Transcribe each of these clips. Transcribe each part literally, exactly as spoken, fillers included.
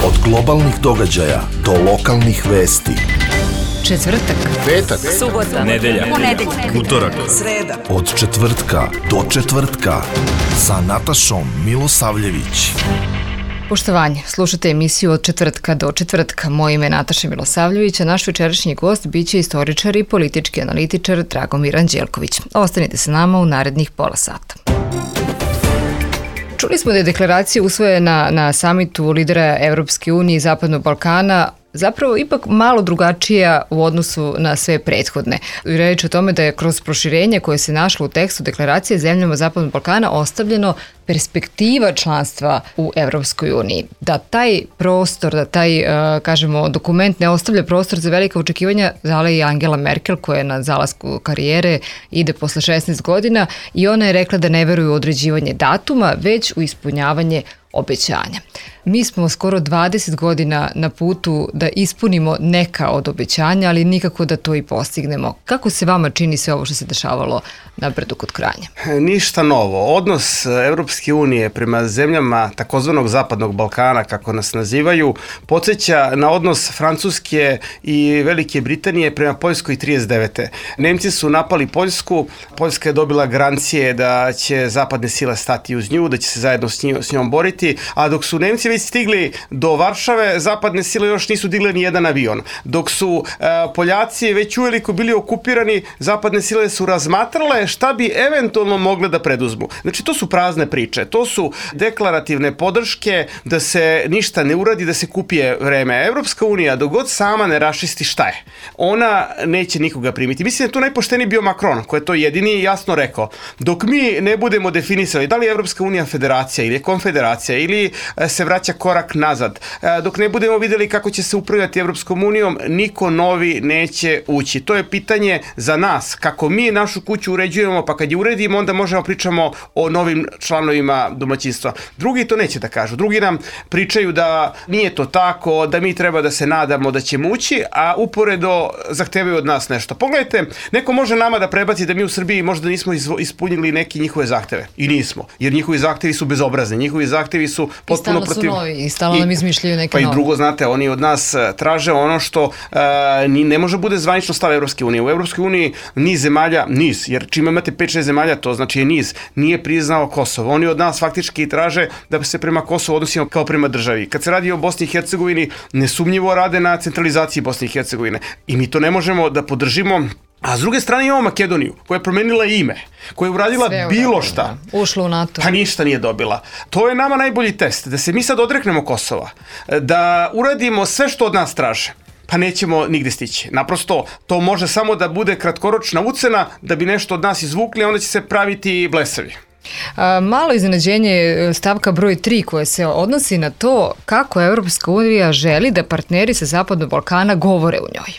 Od globalnih događaja do lokalnih vesti. Četvrtak, petak, subota, nedelja, ponedeljak, utorak, sreda. Od četvrtka do četvrtka sa Natašom Milosavljević. Poštovanje, slušate emisiju Od četvrtka do četvrtka. Moje ime je Nataša Milosavljević, a naš večerašnji gost biće istoričar i politički analitičar Dragomir Anđelković. Ostanite sa nama u narednih pola sata. Čuli smo da je deklaracija usvojena na samitu lidera Evropske unije i Zapadnog Balkana zapravo ipak malo drugačija u odnosu na sve prethodne. Reč o tome da je kroz proširenje koje se našlo u tekstu deklaracije zemljama Zapadnog Balkana ostavljeno perspektiva članstva u Evropskoj uniji. Da taj prostor, da taj, kažemo, dokument ne ostavlja prostor za velika očekivanja, dala i Angela Merkel, koja je na zalasku karijere, ide posle šesnaest godina i ona je rekla da ne veruje u određivanje datuma, već u ispunjavanje obećanja. Mi smo skoro dvadeset godina na putu da ispunimo neka od obećanja, ali nikako da to i postignemo. Kako se vama čini sve ovo što se dešavalo na Brdu kod Kranja? Ništa novo. Odnos Evropske unije prema zemljama takozvanog Zapadnog Balkana, kako nas nazivaju, podsjeća na odnos Francuske i Velike Britanije prema Poljskoj trideset devete. Nemci su napali Poljsku, Poljska je dobila garancije da će zapadne sile stati uz nju, da će se zajedno s njom, s njom boriti, a dok su Nemci već stigli do Varšave, zapadne sile još nisu digle ni jedan avion. Dok su e, Poljaci već uveliko bili okupirani, zapadne sile su razmatrale šta bi eventualno mogle da preduzmu. Znači, to su prazne priče, to su deklarativne podrške da se ništa ne uradi, da se kupije vreme. Evropska unija, dok god sama ne rašisti šta je, ona neće nikoga primiti. Mislim da je tu najpošteniji bio Macron, koji je to jedini jasno rekao. Dok mi ne budemo definisali da li je Evropska unija federacija ili je konfederacija ili se vraća korak nazad, dok ne budemo vidjeli kako će se upravljati Evropskom unijom, niko novi neće ući. To je pitanje za nas, kako mi našu kuću uređujemo, pa kad je uredimo, onda možemo pričamo o novim članovima domaćinstva. Drugi to neće da kažu. Drugi nam pričaju da nije to tako, da mi treba da se nadamo da ćemo ući, a uporedo zahtevaju od nas nešto. Pogledajte, neko može nama da prebaci da mi u Srbiji možda nismo ispunili neki njihove zahteve. I nismo, jer njihovi zahtevi su bezobrazni. Njihovi zahtevi su potpuno protiv... I stalno nam izmišljaju neke nove. Pa i drugo, znate, oni od nas traže ono što uh, ni, ne može bude zvanično stav Evropske unije. U Evropskoj uniji niz zemalja, niz, jer čim imate pet šest zemalja, to znači je niz, nije priznao Kosovo. Oni od nas faktički traže da se prema Kosovu odnosimo kao prema državi. Kad se radi o Bosni i Hercegovini, nesumnjivo rade na centralizaciji Bosne i Hercegovine. I mi to ne možemo da podržimo. A s druge strane imamo Makedoniju, koja je promenila ime, koja je uradila Sve bilo šta. Ušla u NATO. Pa ništa nije dobila. To je nama najbolji test, da se mi sad odreknemo Kosova, da uradimo sve što od nas traže. Pa nećemo nigde stići. Naprosto, to može samo da bude kratkoročna ucena, da bi nešto od nas izvukli, a onda će se praviti blesavi. A, malo iznenađenje stavka broj tri koje se odnosi na to kako Evropska unija želi da partneri sa Zapadnog Balkana govore u njoj.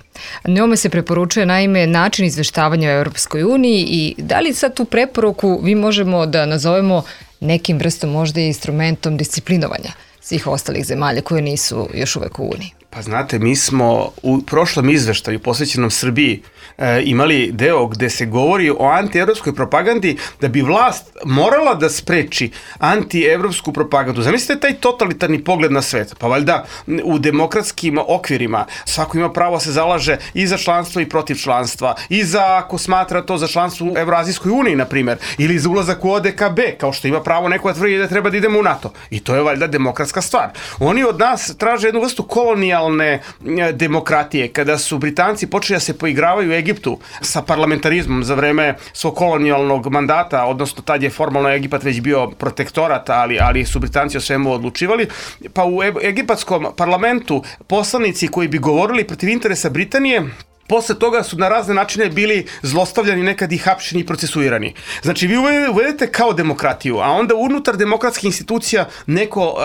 Njome se preporučuje naime način izveštavanja u Evropskoj uniji i da li sad tu preporuku vi možemo da nazovemo nekim vrstom možda i instrumentom disciplinovanja svih ostalih zemalja koje nisu još uvek u Uniji? Pa znate, mi smo u prošlom izveštaju posvećenom Srbiji e, imali deo gde se govori o antievropskoj propagandi da bi vlast morala da spreči antievropsku propagandu. Zamislite taj totalitarni pogled na svet. Pa valjda u demokratskim okvirima svako ima pravo se zalaže i za članstvo i protiv članstva, i za, ako smatra to, za članstvo u Evroazijskoj uniji, na primjer, ili za ulazak u O D K B, kao što ima pravo neko da tvrdi da treba da idemo u NATO. I to je valjda demokratska stvar. Oni od nas traže jednu vrstu kolonijalne demokratije, kada su Britanci počeli da se poigravaju u Egiptu sa parlamentarizmom za vreme svog kolonijalnog mandata, odnosno tad je formalno Egipat već bio protektorat, ali, ali su Britanci o svemu odlučivali, pa u egipatskom parlamentu poslanici koji bi govorili protiv interesa Britanije, posle toga su na razne načine bili zlostavljani, nekad i hapšeni i procesuirani. Znači, vi uvedete kao demokratiju, a onda unutar demokratskih institucija neko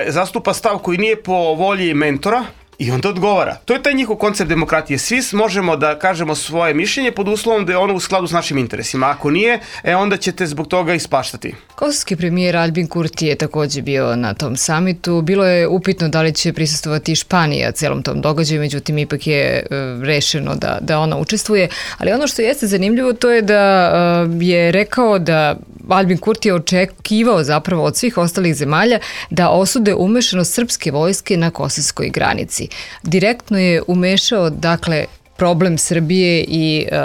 e, zastupa stav koji nije po volji mentora, i onda odgovara. To je taj njihov koncept demokratije. Svi možemo da kažemo svoje mišljenje pod uslovom da je ono u skladu s našim interesima. Ako nije, e onda ćete zbog toga ispaštati. Kosovski premijer Albin Kurti je takođe bio na tom samitu. Bilo je upitno da li će prisustvovati Španija celom tom događaju, međutim ipak je e, rešeno da, da ona učestvuje. Ali ono što jeste zanimljivo to je da e, je rekao da Albin Kurti je očekivao zapravo od svih ostalih zemalja da osude umešanost srpske vojske na kosovskoj granici. Direktno je umešao, dakle, problem Srbije i e,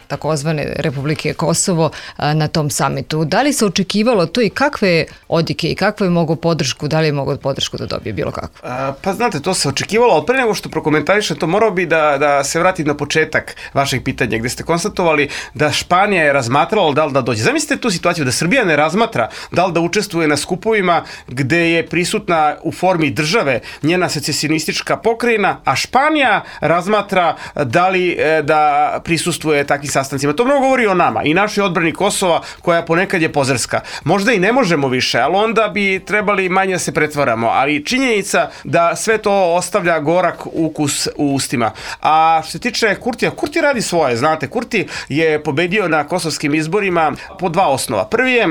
takozvane Republike Kosovo e, na tom samitu. Da li se očekivalo to i kakve odjeke i kakvu je mogo podršku, da li je mogo podršku da dobije bilo kako? A, pa znate, to se očekivalo, ali pre nego što prokomentarišem to, morao bi da, da se vratim na početak vašeg pitanja, gde ste konstatovali da Španija je razmatrala da li da dođe. Zamislite tu situaciju da Srbija ne razmatra da li da učestvuje na skupovima gde je prisutna u formi države njena secesionistička pokrajina, a Španija razmatra da li da prisustvuje takvim sastancima. To mnogo govori o nama i našoj odbrani Kosova, koja ponekad je pozerska. Možda i ne možemo više, ali onda bi trebali manje da se pretvaramo, ali činjenica da sve to ostavlja gorak ukus u ustima. A što se tiče Kurtija, Kurti radi svoje, znate, Kurti je pobedio na kosovskim izborima po dva osnova. Prvi je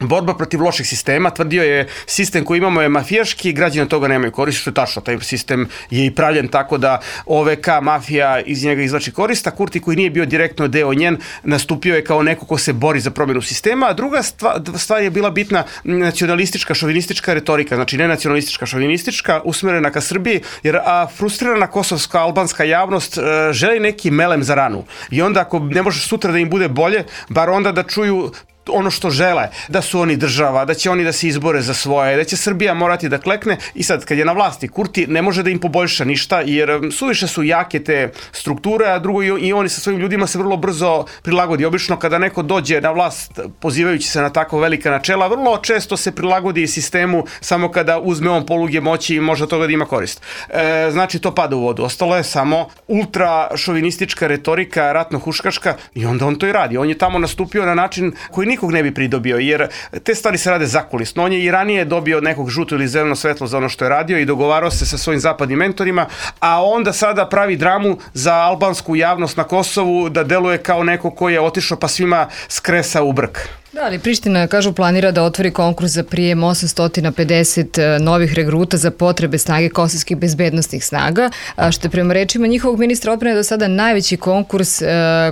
borba protiv loših sistema, tvrdio je sistem koji imamo je mafijaški, građani od toga nemaju korist, što je tačno, taj sistem je i pravljen tako da O V K mafija iz njega izvlači korist, a Kurti koji nije bio direktno deo njen, nastupio je kao neko ko se bori za promjenu sistema, a druga stvar, stvar je bila bitna nacionalistička, šovinistička retorika, znači ne nacionalistička, šovinistička, usmerena ka Srbiji, jer a, frustrirana kosovska, albanska javnost a, želi neki melem za ranu i onda ako ne može sutra da im bude bolje, bar onda da čuju ono što žele, da su oni država, da će oni da se izbore za svoje, da će Srbija morati da klekne i sad kad je na vlasti Kurti ne može da im poboljša ništa jer suviše su jake te strukture, a drugo i oni sa svojim ljudima se vrlo brzo prilagodi. Obično kada neko dođe na vlast pozivajući se na tako velika načela, vrlo često se prilagodi sistemu samo kada uzme on poluge moći i može od toga da ima korist. E, znači to pada u vodu. Ostalo je samo ultra šovinistička retorika, ratno-huškaška i onda on to i radi. On je tamo nastupio na način koji nikog ne bi pridobio, jer te stvari se rade zakulisno. On je i ranije dobio od nekog žuto ili zeleno svetlo za ono što je radio i dogovarao se sa svojim zapadnim mentorima, a onda sada pravi dramu za albansku javnost na Kosovu da deluje kao neko ko je otišao pa svima skresa u brk. Da, ali Priština, kažu, planira da otvori konkurs za prijem osamsto pedeset novih regruta za potrebe snage kosovskih bezbednostnih snaga, što je prema rečima njihovog ministra odbrane do sada najveći konkurs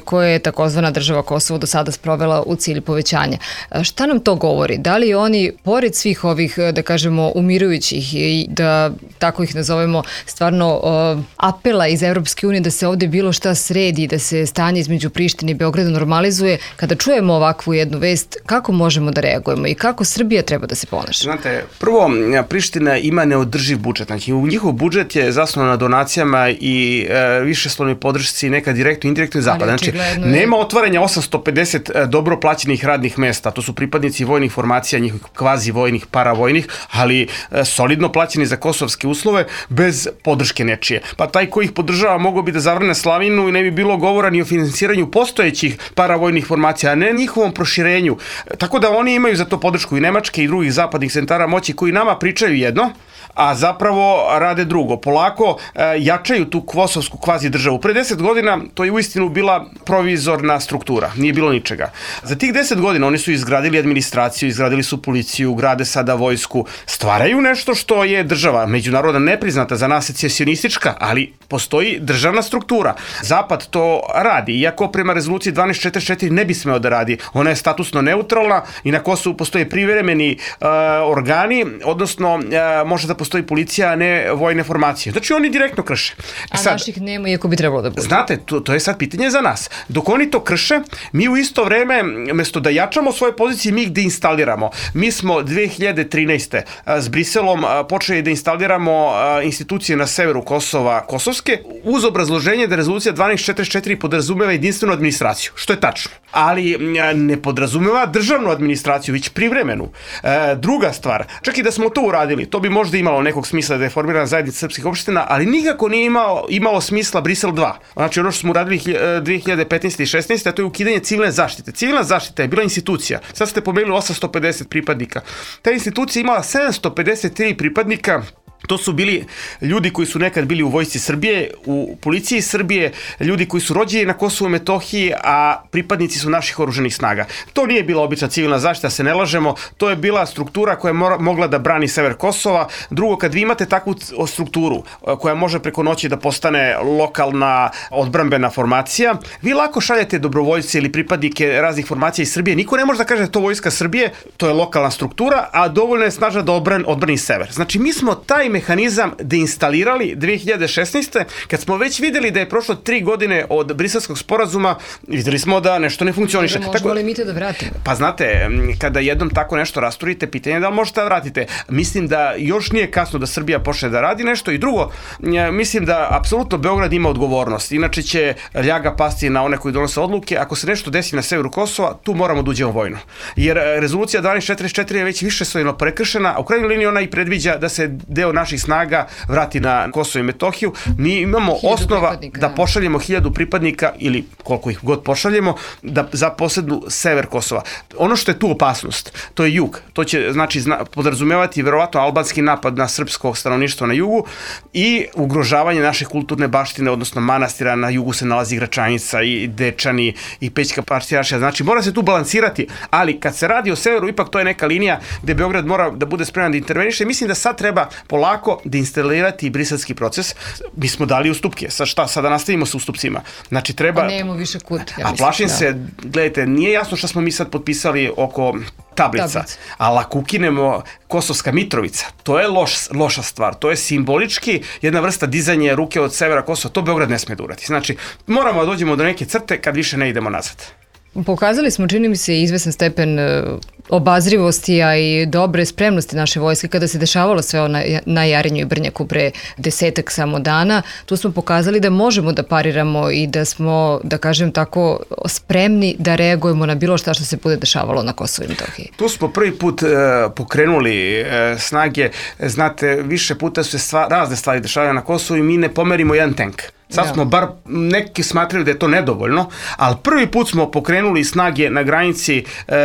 koje je takozvana država Kosovo do sada sprovela u cilju povećanja. Šta nam to govori? Da li oni, pored svih ovih, da kažemo, umirujućih i da tako ih nazovemo, stvarno apela iz Evropske unije da se ovde bilo šta sredi, da se stanje između Prištine i Beograda normalizuje, kada čujemo ovakvu jednu vest, kako možemo da reagujemo i kako Srbija treba da se ponaša? Znate, prvo, Priština ima neodrživ budžet. Znači, njihov budžet je zasnovan na donacijama i e, višeslovnoj podršci, neka direktno, indirektno i zapada. Znači, nema otvaranja osamsto pedeset dobro plaćenih radnih mesta. To su pripadnici vojnih formacija, njihovih kvazi vojnih, paravojnih, ali e, solidno plaćeni za kosovske uslove, bez podrške nečije. Pa taj ko ih podržava mogao bi da zavrne slavinu i ne bi bilo govora ni o finansiranju postojećih paravojnih formacija, a ne njihovom proširenju. Tako da oni imaju za to podršku i Nemačke i drugih zapadnih centara moći koji nama pričaju jedno, a zapravo rade drugo. Polako e, jačaju tu kosovsku kvazi državu. Pre deset godina to je uistinu bila provizorna struktura, nije bilo ničega. Za tih deset godina oni su izgradili administraciju, izgradili su policiju, grade sada vojsku, stvaraju nešto što je država, međunarodna nepriznata, za nas secesionistička, ali postoji državna struktura. Zapad to radi, iako prema rezoluciji dvanaest četrdeset četiri ne bi smeo da radi. Ona je statusno neutralna i na Kosovu postoje privremeni uh, organi, odnosno uh, može da postoji policija, a ne vojne formacije. Znači oni direktno krše. A sad, naših nema, iako bi trebalo da bude. Znate, to, to je sad pitanje za nas. Dok oni to krše, mi u isto vreme, mesto da jačamo svoje pozicije, mi ih deinstaliramo. Mi smo dve hiljade trinaeste. s Briselom počeli da instaliramo institucije na severu Kosova, kosovske, uz obrazloženje da rezolucija dvanaest četrdeset četiri podrazumeva jedinstvenu administraciju, što je tačno. Ali ne podrazumeva državnu administraciju, već privremenu. E, druga stvar, čak i da smo to uradili, to bi možda imalo nekog smisla da je formirana zajednica srpskih opština, ali nikako nije imalo, imalo smisla Brisel dva. Znači ono što smo uradili dve hiljade petnaeste i šesnaeste. a to je ukidanje civilne zaštite. Civilna zaštita je bila institucija. Sad ste pomenuli osamsto pedeset pripadnika. Ta institucija imala sedamsto pedeset tri pripadnika To su bili ljudi koji su nekad bili u vojsci Srbije, u policiji Srbije, ljudi koji su rođeni na Kosovu i Metohiji, a pripadnici su naših oruženih snaga. To nije bila obična civilna zaštita, se ne lažemo, to je bila struktura koja je mogla da brani sever Kosova. Drugo, kad vi imate takvu strukturu koja može preko noći da postane lokalna odbrambena formacija, vi lako šaljete dobrovoljce ili pripadnike raznih formacija iz Srbije. Niko ne može da kaže da je to vojska Srbije, to je lokalna struktura, a dovoljno je snažna da odbrani, odbrani sever. Znači, mi smo taj mehanizam deinstalirali dve hiljade šesnaeste. kad smo već videli da je prošlo tri godine od Briselskog sporazuma, videli smo da nešto ne funkcioniše. Možemo tako, li mi to da vratimo? Pa znate, kada jednom tako nešto rasturite, pitanje je da li možete da vratite. Mislim da još nije kasno da Srbija počne da radi nešto i drugo, mislim da apsolutno Beograd ima odgovornost. Inače će ljaga pasti na one koji donose odluke. Ako se nešto desi na severu Kosova, tu moramo da uđemo vojno. Jer rezolucija dvanaest četrdeset četiri je već više svojno prekršena, a u krajnjoj liniji ona i predviđa da se deo naših snaga vrati na Kosovo i Metohiju. Mi imamo osnova da pošaljemo hiljadu pripadnika ili koliko ih god pošaljemo da zaposednu sever Kosova. Ono što je tu opasnost, to je jug. To će znači zna, podrazumevati verovatno albanski napad na srpsko stanovništvo na jugu i ugrožavanje naše kulturne baštine, odnosno manastira. Na jugu se nalazi Gračanica i Dečani i Pećka Partirašija. Znači mora se tu balansirati, ali kad se radi o severu, ipak to je neka linija gde Beograd mora da bude spreman da interveniše. Mislim da sad treba polako da instalirati briselski proces. Mi smo dali ustupke. Sad šta? Sada nastavimo sa ustupcima. Znači treba... A nemamo više kut. Ja a plašim da. se, gledajte, nije jasno šta smo mi sad potpisali oko tablica, Tablic. ali ako ukinemo Kosovska Mitrovica, to je loš, loša stvar. To je simbolički jedna vrsta dizanja ruke od severa Kosova. To Beograd ne sme da uradi. Znači, moramo da dođemo do neke crte kad više ne idemo nazad. Pokazali smo, čini mi se, izvesan stepen obazrivosti, a i dobre spremnosti naše vojske kada se dešavalo sve na, na Jarinju i Brnjaku pre desetak samo dana. Tu smo pokazali da možemo da pariramo i da smo, da kažem tako, spremni da reagujemo na bilo šta što se bude dešavalo na Kosovu i Metohiji. Tu smo prvi put e, pokrenuli e, snage. Znate, više puta su se stva, razne stvari dešavaju na Kosovu i mi ne pomerimo jedan tank. Sad smo bar, neki smatraju da je to nedovoljno, ali prvi put smo pokrenuli snage na granici, e,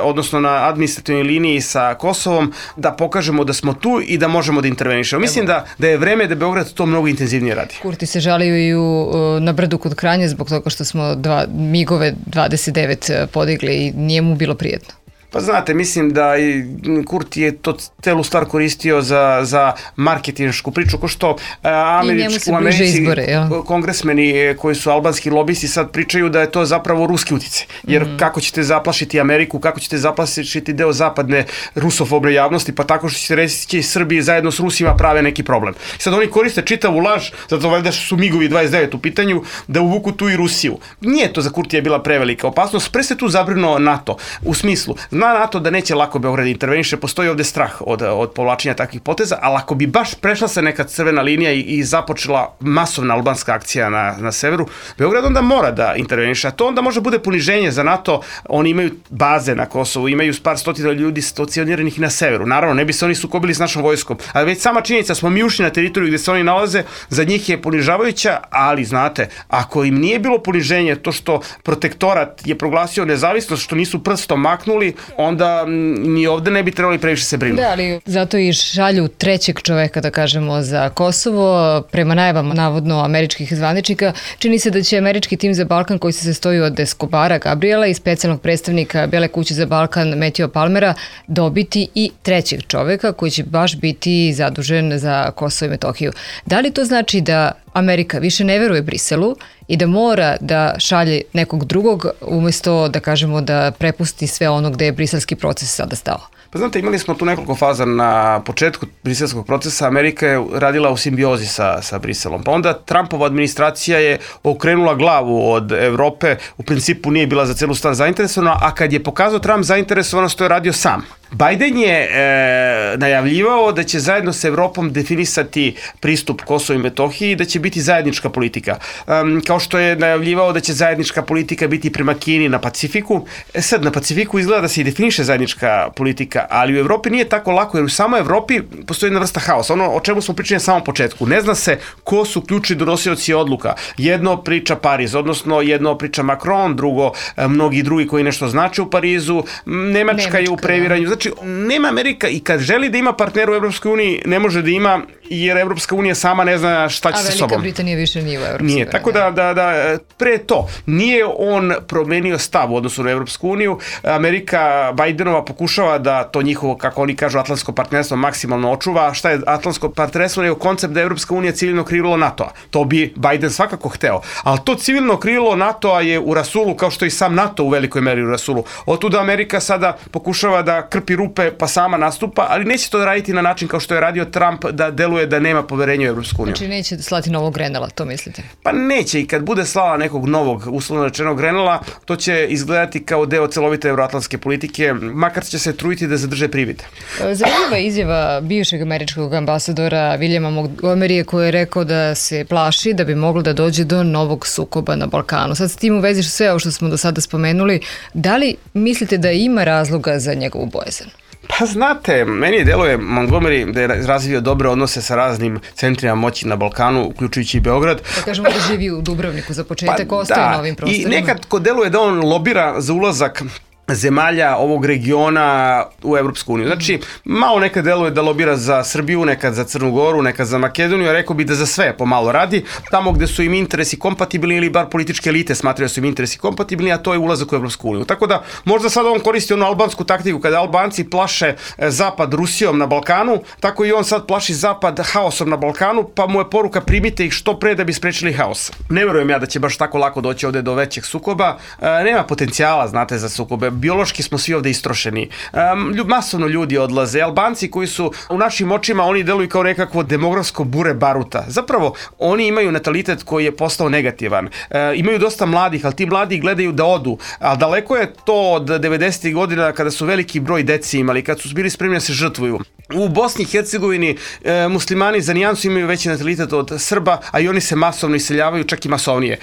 odnosno na administrativnoj liniji sa Kosovom, da pokažemo da smo tu i da možemo da intervenišemo. Mislim da, da je vreme da Beograd to mnogo intenzivnije radi. Kurti se žalio i u, na Brdu kod Kranja zbog toga što smo dva, migove dvadeset devet podigli i nije mu bilo prijetno. Pa znate, mislim da i Kurti je to celu stvar koristio za, za marketinšku priču, ko što američki, u Americi izbore, ja. kongresmeni koji su albanski lobisti sad pričaju da je to zapravo ruski utice. Jer mm. kako ćete zaplašiti Ameriku, kako ćete zaplašiti deo zapadne rusofobne javnosti, pa tako što ćete reći Srbiji zajedno s Rusima prave neki problem. Sad oni koriste čitavu laž, zato valjda su migovi dvadeset devet u pitanju, da uvuku tu i Rusiju. Nije to za Kurtija bila prevelika opasnost, pre se tu zabrinuo NATO, u smislu zna NATO da neće lako Beograd interveniše, postoji ovde strah od, od povlačenja takvih poteza, ali ako bi baš prešla se neka crvena linija i, i započela masovna albanska akcija na, na severu, Beograd onda mora da interveniše, a to onda može bude poniženje za NATO. Oni imaju baze na Kosovu, imaju par stotina ljudi stacioniranih i na severu. Naravno, ne bi se oni sukobili s našom vojskom, ali već sama činjenica smo mi ušli na teritoriju gde se oni nalaze, za njih je ponižavajuća, ali znate, ako im nije bilo poniženje to što protektorat je proglasio nezavisnost, što nisu prstom maknuli, onda ni ovde ne bi trebali previše se brinuti. Da, ali zato i šalju trećeg čoveka, da kažemo, za Kosovo. Prema najavama, navodno, američkih zvaničnika, čini se da će američki tim za Balkan, koji se sastoji od Escobara Gabriela i specijalnog predstavnika Bele kuće za Balkan Matthew Palmera, dobiti i trećeg čoveka koji će baš biti zadužen za Kosovo i Metohiju. Da li to znači da Amerika više ne veruje Briselu i da mora da šalje nekog drugog umjesto da kažemo da prepusti sve ono gde je briselski proces sada stao? Pa znate, imali smo tu nekoliko faza na početku briselskog procesa. Amerika je radila u simbiozi sa, sa Briselom. Pa onda Trumpova administracija je okrenula glavu od Evrope. U principu nije bila za celu stvar zainteresovana, a kad je pokazao Trump zainteresovanost, to je radio sam. Biden je e, najavljivao da će zajedno s Evropom definisati pristup Kosovu i Metohiji i da će biti zajednička politika. E, kao što je najavljivao da će zajednička politika biti prema Kini na Pacifiku. E sad, na Pacifiku izgleda da se i definiše zajednička politika, ali u Evropi nije tako lako, jer u samoj Evropi postoji jedna vrsta haosa. Ono o čemu smo pričali na samom početku. Ne zna se ko su ključni donosioci odluka. Jedno priča Pariz, odnosno jedno priča Macron, drugo mnogi drugi koji nešto znače u Parizu, Nemačka, Nemačka je u previranju. Znači, nema Amerika i kad želi da ima partnera u Evropskoj uniji, ne može da ima jer Evropska unija sama ne zna šta će sa sobom. A Velika Britanija više nije u Evropskoj uniji. Nije, tako da, da, da, pre to, nije on promenio stav u odnosu na Evropsku uniju. Amerika Bidenova pokušava da to njihovo, kako oni kažu, atlantsko partnerstvo maksimalno očuva. Šta je atlantsko partnerstvo? Nego koncept da je Evropska unija civilno krilo NATO-a. To bi Biden svakako hteo. Ali to civilno krilo NATO-a je u rasulu, kao što i sam NATO u velikoj meri u rasulu. Otuda Amerika sada pokušava da krpi rupe pa sama nastupa, ali neće to raditi na način kao što je radio Trump, da deluje da nema poverenja u Evropsku uniju. Znači neće slati novog Grenela, to mislite? Pa neće, i kad bude slala nekog novog, uslovno rečenog Grenela, to će izgledati kao deo celovite euroatlantske politike, makar će se truditi da zadrže privid. Zanimljiva izjava bivšeg američkog ambasadora Williama Montgomerya, koji je rekao da se plaši da bi moglo da dođe do novog sukoba na Balkanu. Sad s tim u vezi sve ovo što smo do sada spomenuli, da li mislite da ima razloga za njegovu bojazan? Pa znate, meni deluje Montgomery da je razvio dobre odnose sa raznim centrima moći na Balkanu, uključujući i Beograd. Da kažemo da živi u Dubrovniku za početak, pa, ostaje da, na ovim prostorima. I nekad ko deluje da on lobira za ulazak zemalja ovog regiona u Evropsku uniju. Znači, malo nekad deluje da lobira za Srbiju, nekad za Crnu Goru, nekad za Makedoniju, a rekao bi da za sve pomalo radi, tamo gde su im interesi kompatibilni ili bar političke elite smatraju da su im interesi kompatibilni, a to je ulazak u Evropsku uniju. Tako da, možda sad on koristi onu albansku taktiku, kada Albanci plaše Zapad Rusijom na Balkanu, tako i on sad plaši Zapad haosom na Balkanu, pa mu je poruka primite ih što pre da bi sprečili haos. Ne verujem ja da će baš tako lako doći ovde do većeg sukoba, e, nema potencijala, znate, za sukobe. Biološki smo svi ovde istrošeni. Um, masovno ljudi odlaze. Albanci koji su u našim očima, oni deluju kao nekakvo demografsko bure baruta. Zapravo, oni imaju natalitet koji je postao negativan. E, imaju dosta mladih, ali ti mladi gledaju da odu. A daleko je to od devedesetih godina kada su veliki broj deci imali, kad su bili spremni da se žrtvuju. U Bosni i Hercegovini e, muslimani za nijansu imaju veći natalitet od Srba, a i oni se masovno iseljavaju, čak i masovnije. E,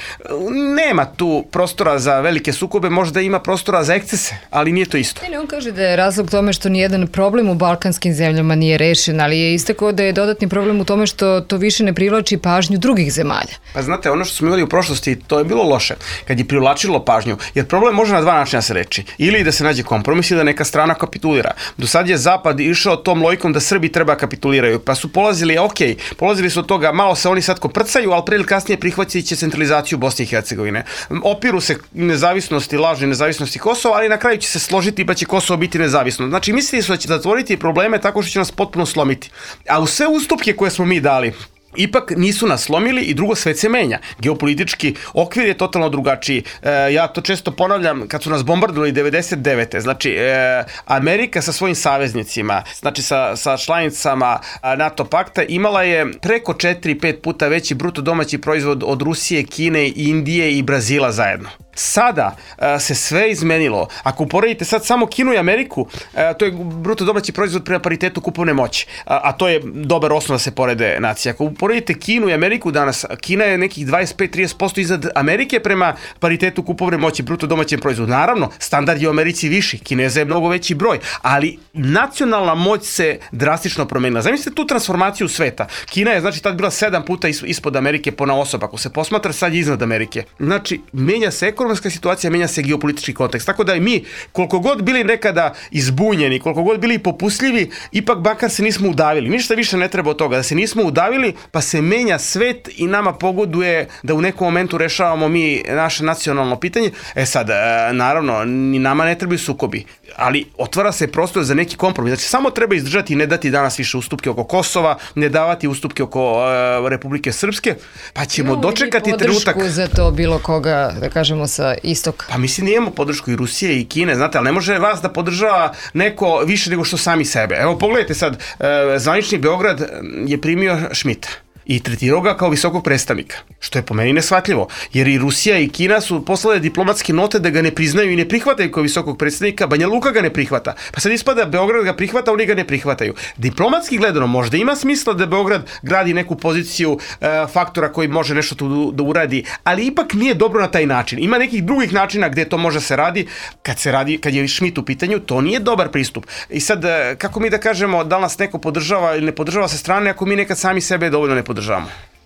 nema tu prostora za velike sukobe, možda ima prostora za ekscese, ali nije to isto. Ne, on kaže da je razlog tome što nijedan problem u balkanskim zemljama nije rešen, ali je istakao da je dodatni problem u tome što to više ne privlači pažnju drugih zemalja. Pa znate, ono što smo imali u prošlosti, to je bilo loše, kad je privlačilo pažnju, jer problem može na dva načina se reči. Ili da se nađe kompromis ili da neka strana kapitulira. Do sad je Zapad išao tom logikom da Srbi treba kapituliraju, pa su polazili, ok, polazili su od toga, malo se oni sad koprcaju, ali pre ili kasnije prihvatit će centralizaciju Bosne i Hercegovine. Opiru se nezavisnosti, lažne nezavisnosti Kosova, ali na kraju će se složiti pa će Kosovo biti nezavisno. Znači, mislili su da će zatvoriti probleme tako što će nas potpuno slomiti. A u sve ustupke koje smo mi dali, ipak nisu nas slomili i drugo, svet se menja. Geopolitički okvir je totalno drugačiji. E, ja to često ponavljam, kad su nas bombardovali devedeset devete. Znači, e, Amerika sa svojim saveznicima, znači sa, sa članicama NATO pakta, imala je preko četiri pet puta veći bruto domaći proizvod od Rusije, Kine, Indije i Brazila zajedno. Sada a, se sve izmenilo. Ako uporedite sad samo Kinu i Ameriku, a, to je bruto domaći proizvod prema paritetu kupovne moći, a, a to je dobar osnov da se porede nacije. Ako uporedite Kinu i Ameriku danas, Kina je nekih dvadeset pet do trideset posto iznad Amerike prema paritetu kupovne moći, bruto domaćem proizvodu. Naravno, standard je u Americi viši, Kineza je mnogo veći broj, ali nacionalna moć se drastično promenila. Zamislite tu transformaciju sveta. Kina je, znači, tad bila sedam puta ispod Amerike po na osoba. Ako se posmatra, sad je iznad Amerike. Znači, menja se ekonomska situacija, menja se geopolitički kontekst. Tako da i mi, koliko god bili nekada izbunjeni, koliko god bili popustljivi, ipak bakar se nismo udavili. Ništa više ne treba od toga. Da se nismo udavili, pa se menja svet i nama pogoduje da u nekom momentu rešavamo mi naše nacionalno pitanje. E sad, naravno, ni nama ne trebaju sukobi, ali otvara se prostor za neki kompromis. Znači, samo treba izdržati i ne dati danas više ustupke oko Kosova, ne davati ustupke oko uh, Republike Srpske, pa ćemo no, dočekati trenutak. Podršku za to bilo koga, da kažemo, sa istoka. Pa mislim, imamo podršku i Rusije i Kine, znate, ali ne može vas da podržava neko više nego što sami sebe. Evo, pogledajte sad, uh, zvanični Beograd je primio Šmita i tretirao ga kao visokog predstavnika, što je po meni neshvatljivo, jer i Rusija i Kina su poslale diplomatske note da ga ne priznaju i ne prihvataju kao visokog predstavnika, Banja Luka ga ne prihvata. Pa sad ispada Beograd ga prihvata, oni ga ne prihvataju. Diplomatski gledano možda ima smisla da Beograd gradi neku poziciju e, faktora koji može nešto tu da uradi, ali ipak nije dobro na taj način. Ima nekih drugih načina gde to može se radi, kad se radi, kad je Šmit u pitanju, to nije dobar pristup. I sad, kako mi da kažemo da nas neko podržava ili ne podržava sa strane, ako mi nekad sami sebe dovoljno ne podržavamo?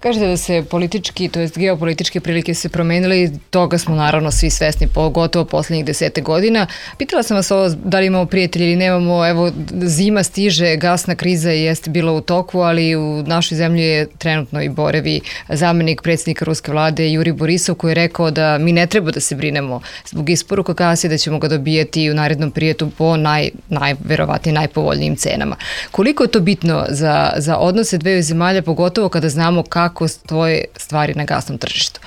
Kažete da se politički, to jest geopolitičke prilike se promenili, toga smo naravno svi svesni, pogotovo poslednjih desete godina. Pitala sam vas ovo, da li imamo prijatelji ili nemamo, evo zima stiže, gasna kriza jeste bila u toku, ali u našoj zemlji je trenutno i Borevi zamenik predsjednika ruske vlade Jurij Borisov, koji je rekao da mi ne treba da se brinemo zbog isporuka gasa, da ćemo ga dobijati u narednom periodu po naj, najverovatnije najpovoljnijim cenama. Koliko je to bitno za, za odnose dveju zemalja, pogotovo kada znamo kako stoje stvari na gasnom tržištu?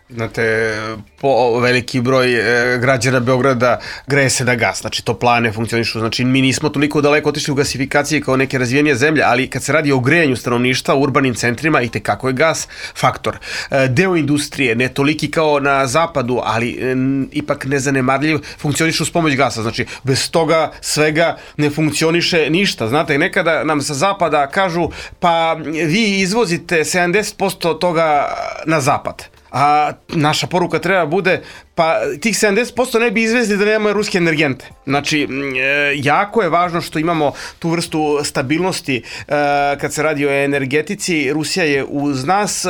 Znate, po veliki broj e, građana Beograda greje se na gas, znači toplane funkcionišu, znači mi nismo toliko daleko otišli u gasifikaciji kao neke razvijenije zemlje, ali kad se radi o grejanju stanovništva u urbanim centrima, i tekako je gas faktor. E, deo industrije, ne toliki kao na zapadu, ali e, ipak nezanemarljiv, funkcionišu s pomoć gasa, znači bez toga svega ne funkcioniše ništa. Znate, nekada nam sa zapada kažu, pa vi izvozite sedamdeset posto toga na zapad. A naša poruka treba bude, pa tih sedamdeset posto ne bi izvezli da nemamo ruske energente. Znači, jako je važno što imamo tu vrstu stabilnosti kad se radi o energetici. Rusija je uz nas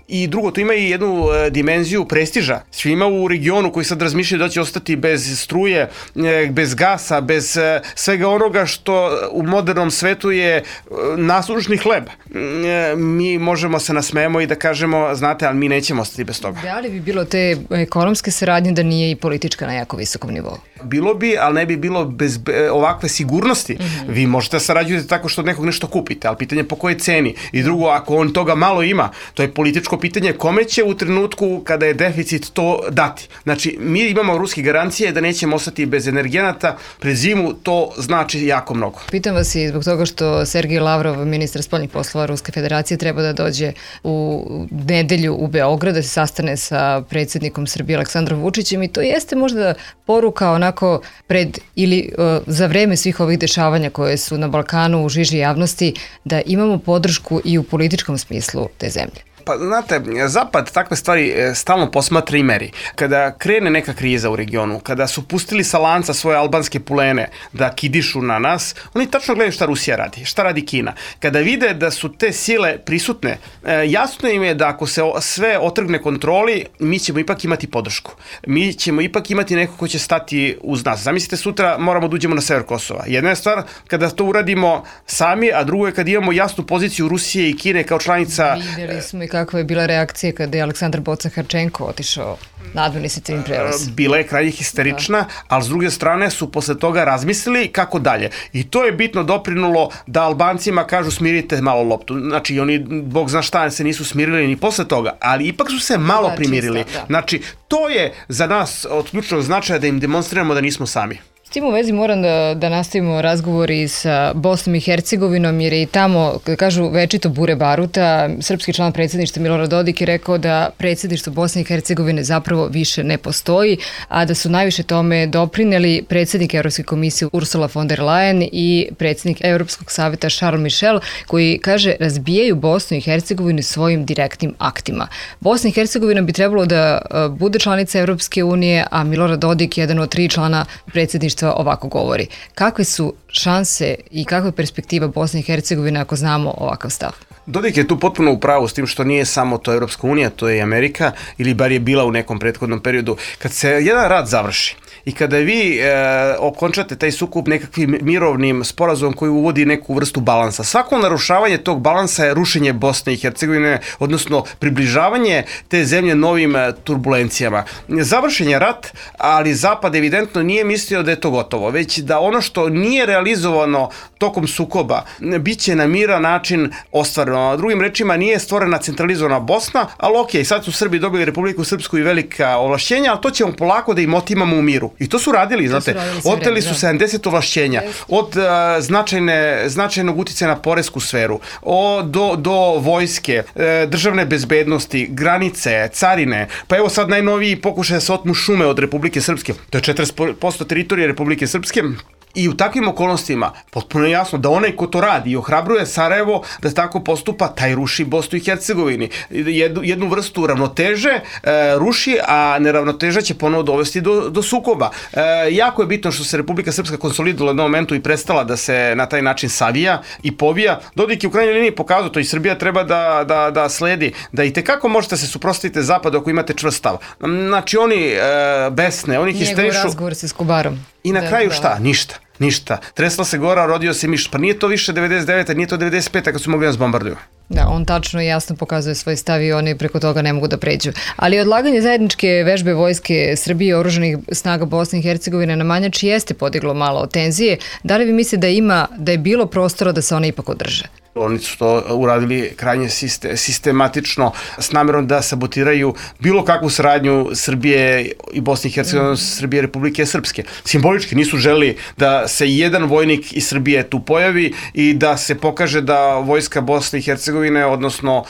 i drugo, to ima i jednu dimenziju prestiža. Svima u regionu koji sad razmišljaju da će ostati bez struje, bez gasa, bez svega onoga što u modernom svetu je nasušni hleb. Mi možemo se nasmejemo i da kažemo, znate, ali mi nećemo ostati bez toga. Da li bi bilo te ekonomske saradnje da nije i politička na jako visokom nivou? Bilo bi, ali ne bi bilo bez ovakve sigurnosti. Mm-hmm. Vi možete sarađujete tako što od nekog nešto kupite, ali pitanje po kojoj ceni. I drugo, ako on toga malo ima, to je političko pitanje kome će u trenutku kada je deficit to dati. Znači, mi imamo ruske garancije da nećemo ostati bez energenata pred zimu, to znači jako mnogo. Pitam vas i zbog toga što Sergej Lavrov, ministar spoljnih poslova Ruske federacije, treba da dođe u nedelju u Beograd da se sastane sa predsjednikom Srbije Aleksandrom Vučićem, i to jeste možda poruka onako pred ili uh, za vreme svih ovih dešavanja koje su na Balkanu u žiži javnosti, da imamo podršku i u političkom smislu te zemlje. Pa znate, Zapad takve stvari stalno posmatra i meri. Kada krene neka kriza u regionu, kada su pustili sa lanca svoje albanske pulene da kidišu na nas, oni tačno gledaju šta Rusija radi, šta radi Kina. Kada vide da su te sile prisutne, jasno im je da ako se sve otrgne kontroli, mi ćemo ipak imati podršku. Mi ćemo ipak imati neko ko će stati uz nas. Zamislite, sutra moramo da uđemo na sever Kosova. Jedna je stvar kada to uradimo sami, a drugo je kada imamo jasnu poziciju Rusije i Kine kao članica. Videli smo i kakva je bila reakcija kada je Aleksandar Bocan-Harčenko otišao na administrativni prelaz. Bila je krajnje histerična, da. Ali s druge strane su posle toga razmislili kako dalje. I to je bitno doprinulo da Albancima kažu smirite malo loptu. Znači, oni, Bog zna šta, se nisu smirili ni posle toga, ali ipak su se malo da, primirili. Čista, da. Znači, to je za nas od ključnog značaja da im demonstriramo da nismo sami. S tim u vezi moram da, da nastavimo razgovor i sa Bosnom i Hercegovinom, jer je i tamo, kažu, večito bure baruta. Srpski član predsjedništva Milorad Dodik je rekao da predsjedništvo Bosne i Hercegovine zapravo više ne postoji, a da su najviše tome doprineli predsjednik Evropske komisije Ursula von der Leyen i predsjednik Europskog savjeta Charles Michel, koji, kaže, razbijaju Bosnu i Hercegovinu svojim direktnim aktima. Bosna i Hercegovina bi trebalo da bude članica Evropske unije, a Milorad Dodik, jedan od tri člana predsjedništva, ovako govori. Kakve su šanse i kakva je perspektiva Bosne i Hercegovine ako znamo ovakav stav? Dodik je tu potpuno u pravu s tim što nije samo to Evropska unija, to je i Amerika, ili bar je bila u nekom prethodnom periodu. Kad se jedan rat završi i kada vi e, okončate taj sukob nekakvim mirovnim sporazumom koji uvodi neku vrstu balansa, svako narušavanje tog balansa je rušenje Bosne i Hercegovine, odnosno približavanje te zemlje novim turbulencijama. Završen je rat, ali Zapad evidentno nije mislio da je to gotovo, već da ono što nije realizovano tokom sukoba bit će na miran način ostvareno. Drugim rečima, nije stvorena centralizovana Bosna, ali ok, sad su Srbi dobili Republiku Srpsku i velika ovlašćenja, ali to ćemo polako da im otimamo u miru. I to su radili, znate, su radili oteli su sedamdeset ovlašćenja, od uh, značajne, značajnog uticaja na poresku sferu, o, do, do vojske, e, državne bezbednosti, granice, carine, pa evo sad najnoviji pokušaj da se otmu šume od Republike Srpske, to je četrdeset posto teritorije Republike Srpske, I u takvim okolnostima potpuno je jasno da onaj ko to radi i ohrabruje Sarajevo da tako postupa, taj ruši Bosnu i Hercegovini. Jednu, jednu vrstu ravnoteže e, ruši, a neravnoteža će ponovo dovesti do, do sukoba. E, jako je bitno što se Republika Srpska konsolidovala u jednom momentu i prestala da se na taj način savija i povija. Dodik je u krajnjoj liniji pokazao to i Srbija treba da, da, da sledi, da i tekako možete se suprotstaviti zapadu ako imate čvrst stav. Znači oni e, besne, oni histerišu. Njegov razgovor sa Skobarom. I na da, kraju da. šta? Ništa. Ništa. Tresla se gora, rodio se miš. Pa nije to više devedeset devete, nije to devedeset pete kad su mogli nas bombarduju. Da, on tačno i jasno pokazuje svoj stav i oni preko toga ne mogu da pređu. Ali odlaganje zajedničke vežbe vojske Srbije i oružanih snaga Bosne i Hercegovine na Manjači jeste podiglo malo tenzije. Da li vi mislite da ima, da je bilo prostora da se one ipak održe? Oni su to uradili krajnje sistematično s namjerom da sabotiraju bilo kakvu saradnju Srbije i Bosne i Hercegovine, mm. Srbije i Republike Srpske. Simbolički nisu želi da se jedan vojnik iz Srbije tu pojavi i da se pokaže da vojska Bosne i Hercegovine, odnosno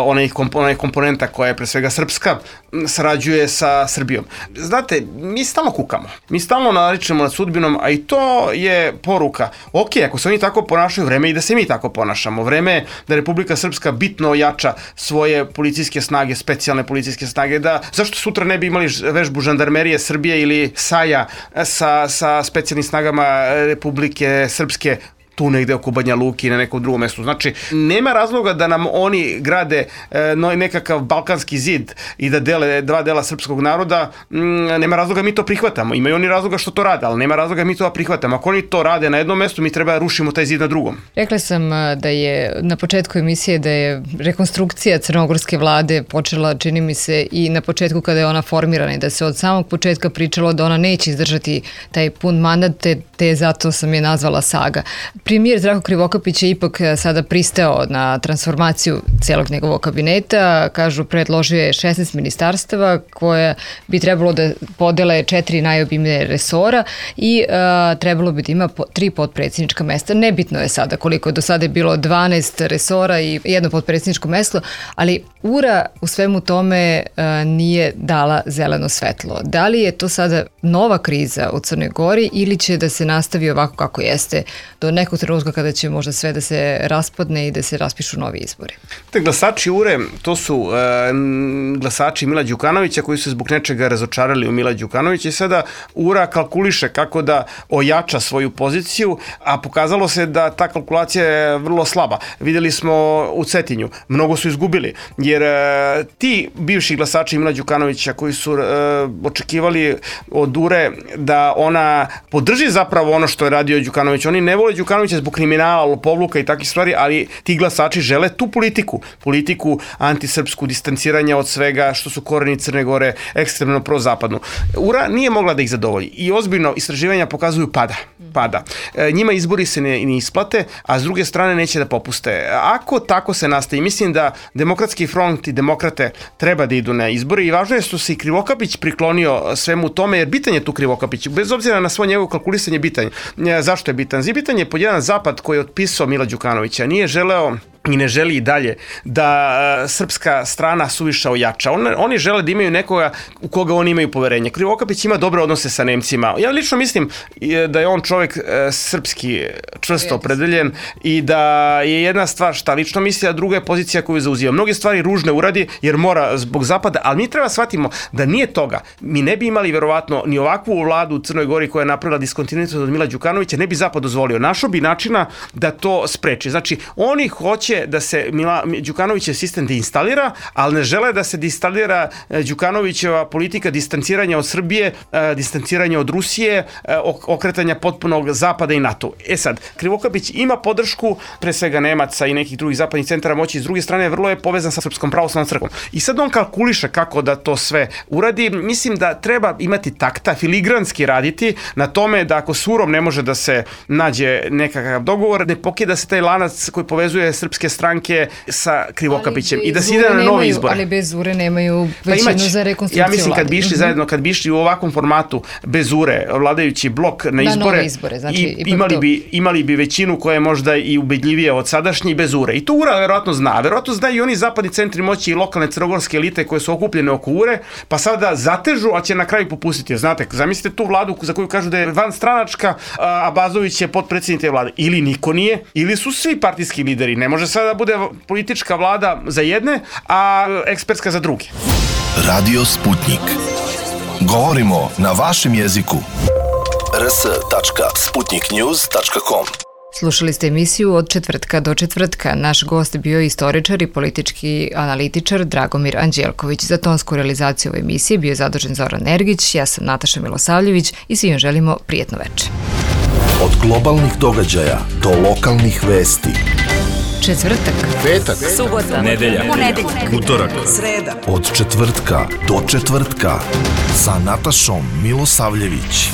onaj komponenta koja je pre svega srpska, sarađuje sa Srbijom. Znate, mi stalno kukamo, mi stalno naričemo nad sudbinom, a i to je poruka. Ok, ako se oni tako ponašaju, vreme i da se mi tako ponašamo. Vreme je da Republika Srpska bitno ojača svoje policijske snage, specijalne policijske snage, da zašto sutra ne bi imali vežbu žandarmerije Srbije ili Saja sa, sa specijalnim snagama Republike Srpske tu negde oko Banja Luki na nekom drugom mestu. Znači, nema razloga da nam oni grade e, no, nekakav balkanski zid i da dele dva dela srpskog naroda, m, nema razloga mi to prihvatamo. Imaju oni razloga što to rade, ali nema razloga mi to prihvatamo. Ako oni to rade na jednom mestu, mi treba da rušimo taj zid na drugom. Rekla sam da je na početku emisije da je rekonstrukcija crnogorske vlade počela, čini mi se, i na početku kada je ona formirana i da se od samog početka pričalo da ona neće izdržati taj pun mandat, te, te zato sam je nazvala saga. Premijer Zdravko Krivokapić je ipak sada pristao na transformaciju celog njegovog kabineta. Kažu, predložio je šesnaest ministarstava koje bi trebalo da podele četiri najobimnije resora i a, trebalo bi da ima po, tri potpredsjednička mesta. Nebitno je sada koliko je do sada je bilo dvanaest resora i jedno potpredsjedničko mesto, ali U R A u svemu tome a, nije dala zeleno svetlo. Da li je to sada nova kriza u Crnoj Gori ili će da se nastavi ovako kako jeste do nekog trenutka kada će možda sve da se raspadne i da se raspišu novi izbori? Te glasači U R E, to su e, glasači Mila Đukanovića koji su zbog nečega razočarali u Mila Đukanovića i sada U R A kalkuliše kako da ojača svoju poziciju, a pokazalo se da ta kalkulacija je vrlo slaba. Vidjeli smo u Cetinju, mnogo su izgubili, jer e, ti bivši glasači Mila Đukanovića koji su e, očekivali od U R E da ona podrži zapravo ono što je radio Đukanović, oni ne vole Đukanovića zbog kriminala, lopovluka i takvih stvari, ali ti glasači žele tu politiku, politiku antisrpsku, distanciranja od svega što su koreni Crne Gore, ekstremno prozapadnu. U R A nije mogla da ih zadovolji i ozbiljno istraživanja pokazuju pada. pada. E, njima izbori se ne, ne isplate, a s druge strane neće da popuste. Ako tako se nastavi, mislim da Demokratski front i demokrate treba da idu na izbori i važno je što se i Krivokapić priklonio svemu tome, jer bitan je tu Krivokapić, bez obzira na svo njegovo kalkulisanje bitan. E, zašto je bitan? Bitan je pod jedan zapad koji je otpisao Mila Đukanovića, nije želeo i ne želi i dalje da uh, srpska strana suviše ojača. On, oni žele da imaju nekoga u koga oni imaju poverenje. Krivokapić ima dobre odnose sa Nemcima. Ja lično mislim da je on čovjek uh, srpski čvrsto opredeljen i da je jedna stvar šta lično misli, a druga je pozicija koju zauzima. Mnoge stvari ružne uradi jer mora zbog zapada, ali mi treba shvatimo da nije toga. Mi ne bi imali verovatno ni ovakvu vladu u Crnoj Gori koja je napravila diskontinuitet od Mila Đukanovića, ne bi zapad dozvolio. Našo bi načina da to spreči. Znači, oni hoće da se Mila, Đukanovićev sistem deinstalira, ali ne žele da se deinstalira Đukanovićeva politika distanciranja od Srbije, distanciranja od Rusije, okretanja potpunog zapada i NATO. E sad, Krivokapić ima podršku, pre svega Nemaca i nekih drugih zapadnih centara moći, s druge strane vrlo je povezan sa Srpskom pravoslavnom crkvom. I sad on kalkuliše kako da to sve uradi. Mislim da treba imati takta, filigranski raditi na tome da ako s U R A-om ne može da se nađe nekakav dogovor, ne pokida se taj lanac koji povezuje srpski Demokratske stranke sa Krivokapićem i da se ide na nemaju, novi izbore. Ali bez ure nemaju većinu pa za rekonstrukciju Ja mislim vlade. kad bi išli mm-hmm. zajedno, kad bi išli u ovakvom formatu bez ure, vladajući blok na izbore, na izbore znači, i, imali, bi, imali bi većinu koja je možda i ubedljivija od sadašnje bez ure. I to ura verovatno zna. Verovatno zna i oni zapadni centri moći i lokalne crnogorske elite koje su okupljene oko ure, pa sada zatežu, a će na kraju popustiti. Znate, zamislite tu vladu za koju kažu da je vanstranačka, a Bazović je potpredsjednik te vlade. Ili niko nije, ili su svi partijski lideri. Ne može sada da bude politička vlada za jedne, a ekspertska za druge. Radio Sputnik. Govorimo na vašem jeziku. r s tačka sputnik news tačka com. Slušali ste emisiju Od četvrtka do četvrtka. Naš gost bio je istoričar i politički analitičar Dragomir Anđelković. Za tonsku realizaciju ove emisije bio je zadužen Zoran Ergić, ja sam Nataša Milosavljević i svima želimo prijetno večer. Od globalnih događaja do lokalnih vesti. Četvrtak, Petak, subota, nedelja, ponedeljak, utorak, sreda. Od četvrtka do četvrtka sa Natašom Milosavljević.